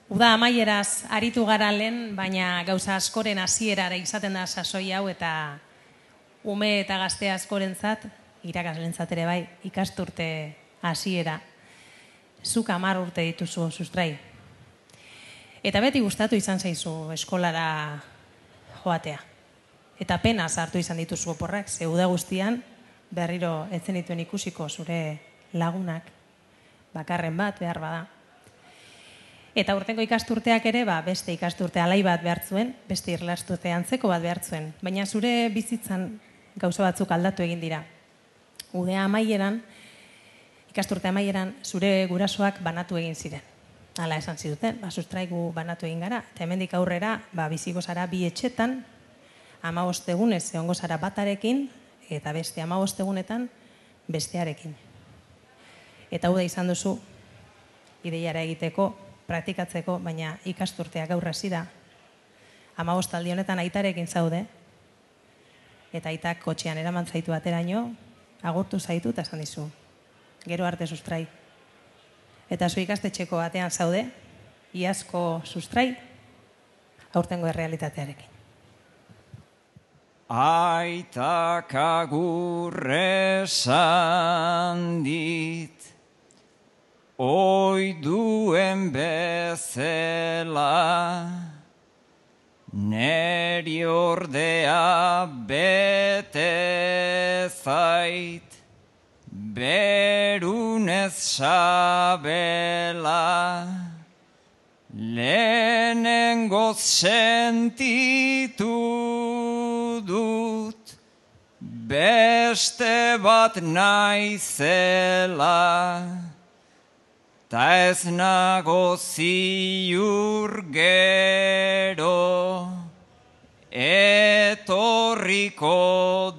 Uda amaieraz aritu gara lehen, baina gauza askoren hasierara izaten da sasoi hau eta ume eta gazte askorentzat, irakaslentzat ere bai, ikasturte hasiera. Zuk 10 urte dituzu sustrai. Eta beti gustatu izan zaizu eskolara joatea. Eta pena hartu izan dituzu oporrak, ze uda guztian berriro ez zenituen ikusiko zure lagunak, bakarren bat behar bada. Eta urtengo ikasturteak ere, beste ikasturte alai bat behartzuen, beste irlasturte antzeko bat behartzuen. Baina zure bizitzan gauza batzuk aldatu egin dira. Udea amaieran, ikasturte amaieran, zure gurasoak banatu egin ziren. Hala esan ziduten, sustraigu banatu egin gara. Eta hemendik aurrera, biziko zara 2 etxetan, 15 egunez egongo zara batarekin, eta beste 15 egunetan bestearekin. Eta hau da izan duzu, ideiara egiteko, praktikatzeko, baina ikasturteak gaur hasi da. 15 aldi honetan aitarekin zaude, eta aitak kotxean eraman zaitu ateraino, agurtu zaitu eta esan dizu. Gero arte sustrai. Eta zu ikastetxeko batean zaude, iazko sustrai, aurtengo errealitatearekin. Aitak agurresan dit, oiduen bezala, neri ordea bete zait, berunez sabela, lehenengoz sentitu dut, beste bat naizela, ta ez nago ziur gero, etorriko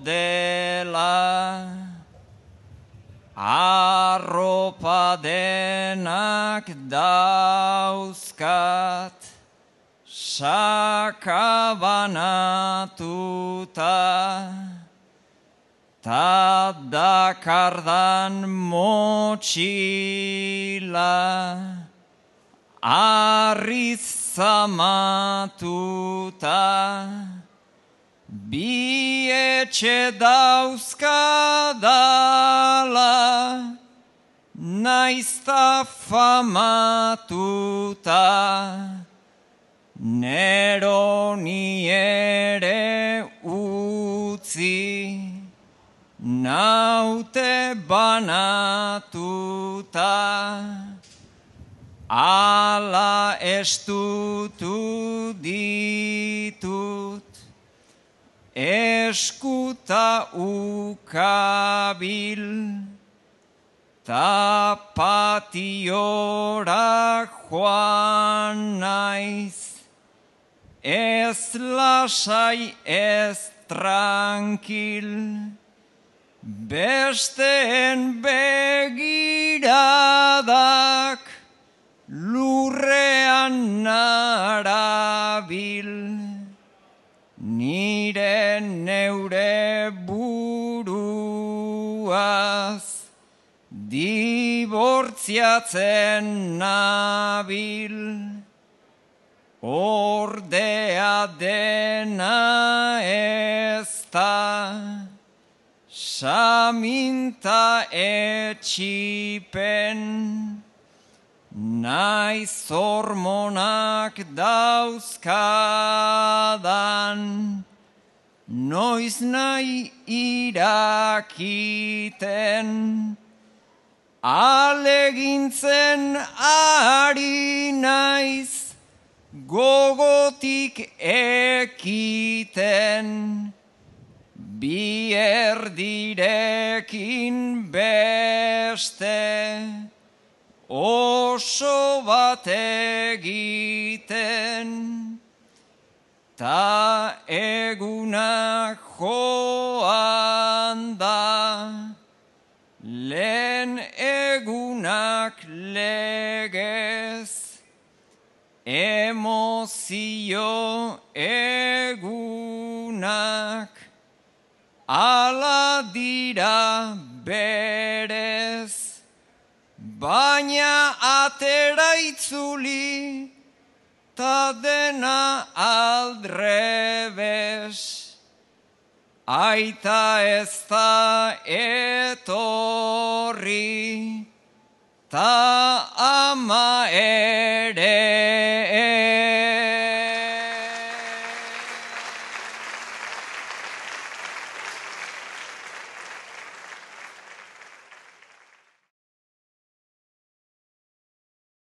dela. Arropa denak dauzkat, sakabanatuta, ta dakardan motxila, arriz zamatuta, bi etxe dauzkadala, naizta famatuta, neroni ere utzi, naute banatuta, ala estutu ditut, eskuta ukabil, ta patiora joan naiz, ez lasai ez trankil, besteen begiradak lurrean narabil, nire neure buruaz dibortziatzen nabil, ordea dena ezta, saminta etxipen, naiz hormonak dauzkadan, noiz nahi irakiten, alegintzen ari naiz, gogotik ekiten, bi erdirekin beste, oso bat egiten, ta egunak joan da, lehen egunak legez, emozio egunak, ala dira berez, baina atera itzuli ta dena aldrebes, aita ez da etorri, ta ama